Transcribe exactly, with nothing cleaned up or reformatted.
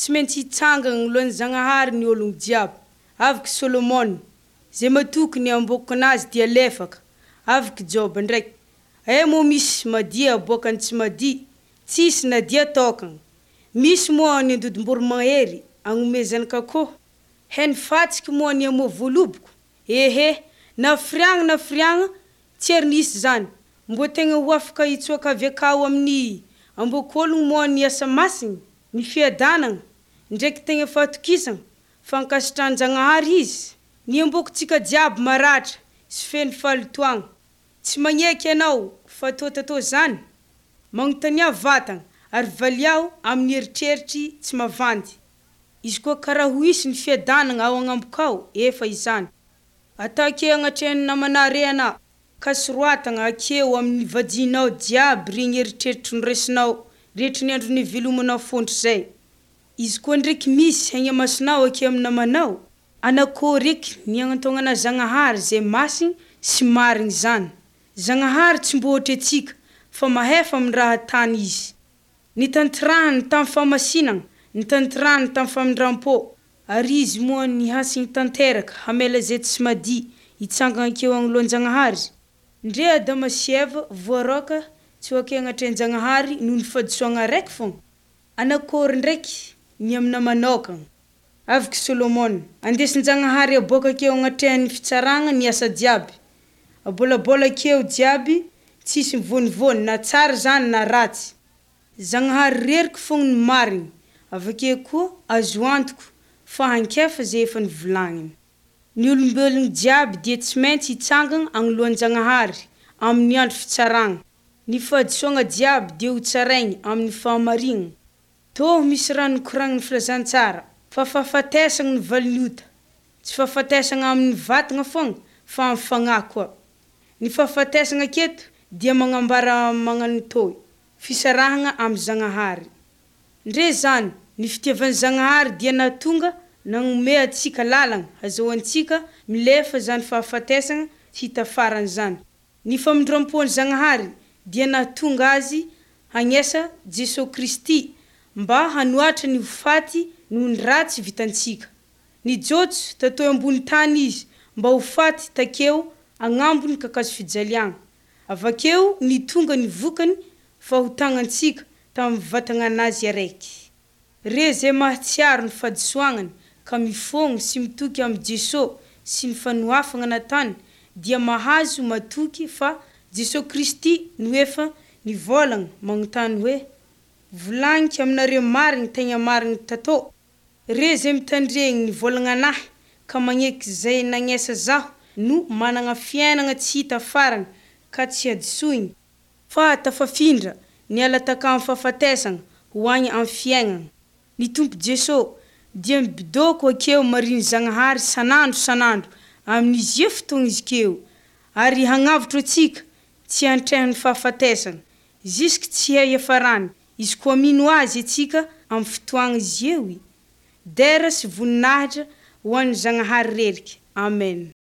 Tsy maintsy hitsangana anoloan'ny Zagnahary ny ôlogno jiaby. Avy Solomona, zay matoky ny ambôkinazy dia lefaka. Avy Jôba ndraiky, aia moa misy madio aboakan'ny tsy madio? Tsisy na dia tôkana. Misy moa ny andidim-boromahery anome zanak'akoho? He ny fatsiky moa ny hamoa voaloboko? Ehe na firiagna na firiagna tsy ary nisy zany. Mbô tegna ho afaka hitsoaka avy akao amin'ny ambôkôlogno moa ny asa masigny, ny fiadanana ndraiky tegna fahatokisana fankasitrahan-Jagnahary izy? Ny ambôkontsika jiaby maratra sy feno fahalotoagna. Tsy magneky anao fa tô tatô zany? Magnotania vatana ary valiao amin'ny eritreritry tsy mavandy. Izy koa karaha ho hisy ny fiadanana ao agnamboko efa izany. Atao anatrehan'ny namana rey ana ka soroatana akeo amin'ny vadinao jiaby regny eritreritry noraisinao rehetry ny andro nivelomanao fôntry. Izy koa ndraiky misy hegna-masonao ake amy namanao, anakôry eky ny agnantognana Zagnahary zay masigny sy marigny zany. Zagnahary tsy mbô ohatry antsika fa mahefa amy raha atany izy. Nitantirahany tamy fahamasinana, nitantirahany tamy famindram-pô ary izy moa nihasigny tanteraka hamela zay tsy madio hitsangana akeo anoloan-Jagnahary. Ndre Adama sy Eva voaroaka tsy ho ake anatrehan-Jagnahary noho ny fahadisoana araiky fôgna. Anakôry ndraiky ny aminah manokana? Avy Solomona, andesin-Jagnahary aboaka akeo anatrehan'ny fitsarana ny asa jiaby, abôlabôla akeo jiaby tsisy mivônivôny na tsara zany na ratsy. Zagnahary reriky fôgna no marigny, avakeo koa azo antoko fa hankefa zay efa nivolagniny. Ny olombelogno jiaby dia tsy maintsy hitsangana anoloan-Jagnahary amin'ny andro fitsarana. Ny fahadisoana jiaby dia ho tsarainy amin'ny fahamarignana. Tô misy raha nikoragnin'ny filazantsara fa fahafatesana no valin'ny ota, tsy fahafatesana amin'ny vatana foagna fa amy fagnahy koa. Ny fahafatesana aketo dia magnambara magnano tô fisarahana amy Zagnahary. Ndre zany ny fitiavan'i Zagnahary dia nahatonga nanome antsika lalana azahoantsika milefa zany fahafatesana tsy hita farany zany. Ny famindram-pon'i Zagnahary dia nahatonga azy hagnesa Jesoa Kristy mba hanoatra ny ho faty noho ny ratsy vitantsika. Nijotso tatoy ambony tany izy mba ho faty takeo agnambon'ny kakazo fijaliagna. Avakeo nitonga ny vokany fahotagnantsika tamy vatagnanazy araiky. Re zay mahatsiaro ny fahadisoagnany ka mifôgno sy mitoky amy Jesoa sy ny fanohafana natany dia mahazo matoky fa Jesoa Kristy no efa nivôlagna magnontany hoe: Volagniko aminareo marigny tegna marigny tatô, re zay mitandregny ny vôlagnanahy ka magneky zay nagnesa zaho no manana fiainana tsy hita farany ka tsy hadisoiny fa tafafindra niala taka amy fahafatesana ho agny amy fiaignana. Ny Tompo Jesoa dia mibidôko akeo mariny Zagnahary isan'andro isan'andro amin'izy io fotoana izy keo ary hagnavotro antsika tsy antrehan'ny fahafatesana jusky tsy hay iafarany izy koa mino azy atsika amy fotoana izy io. Dera sy voninahitra ho an'i Zagnahary reriky. Amen.